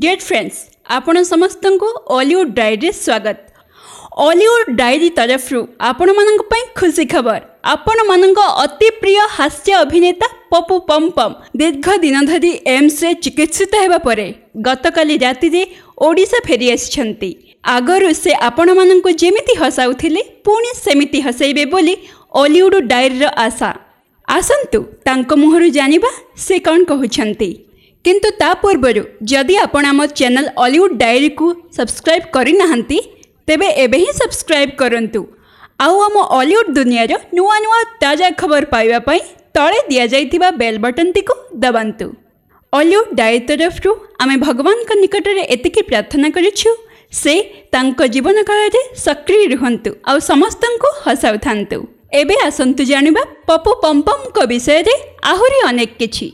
Deer friends, ଆପଣ ସମସ୍ତଙ୍କୁ ଅଲିଉଡ଼ ଡାଏରୀରେ ସ୍ୱାଗତ। ଅଲିଉଡ଼ ଡାଏରୀ ତରଫରୁ ଆପଣମାନଙ୍କ ପାଇଁ ଖୁସି ଖବର, ଆପଣମାନଙ୍କ ଅତି ପ୍ରିୟ ହାସ୍ୟ ଅଭିନେତା ପପୁ ପମ୍ପମ୍ ଦୀର୍ଘ ଦିନ ଧରି ଏମ୍ସରେ ଚିକିତ୍ସିତ ହେବା ପରେ ଗତକାଲି ରାତିରେ ଓଡ଼ିଶା ଫେରି ଆସିଛନ୍ତି। ଆଗରୁ ସେ ଆପଣମାନଙ୍କୁ ଯେମିତି ହସାଉଥିଲେ, ପୁଣି ସେମିତି ହସାଇବେ ବୋଲି ଅଲିଉଡ଼ ଡାଏରୀର ଆଶା। ଆସନ୍ତୁ ତାଙ୍କ ମୁହଁରୁ ଜାଣିବା ସେ କ'ଣ କହୁଛନ୍ତି। କିନ୍ତୁ ତା ପୂର୍ବରୁ ଯଦି ଆପଣ ଆମ ଚ୍ୟାନେଲ୍ ଅଲିଉଡ଼ ଡାଏରୀକୁ ସବସ୍କ୍ରାଇବ୍ କରିନାହାନ୍ତି, ତେବେ ଏବେ ହିଁ ସବସ୍କ୍ରାଇବ୍ କରନ୍ତୁ ଆଉ ଆମ ଅଲିଉଡ଼ ଦୁନିଆର ନୂଆ ନୂଆ ତାଜା ଖବର ପାଇବା ପାଇଁ ତଳେ ଦିଆଯାଇଥିବା ବେଲ୍ ବଟନ୍ଟିକୁ ଦବାନ୍ତୁ। ଅଲିଉଡ଼ ଡାଏରୀ ତରଫରୁ ଆମେ ଭଗବାନଙ୍କ ନିକଟରେ ଏତିକି ପ୍ରାର୍ଥନା କରୁଛୁ, ସେ ତାଙ୍କ ଜୀବନ କାଳରେ ସକ୍ରିୟ ରୁହନ୍ତୁ ଆଉ ସମସ୍ତଙ୍କୁ ହସାଉଥାନ୍ତୁ। ଏବେ ଆସନ୍ତୁ ଜାଣିବା ପପୁ ପମ୍ପମ୍ଙ୍କ ବିଷୟରେ ଆହୁରି ଅନେକ କିଛି।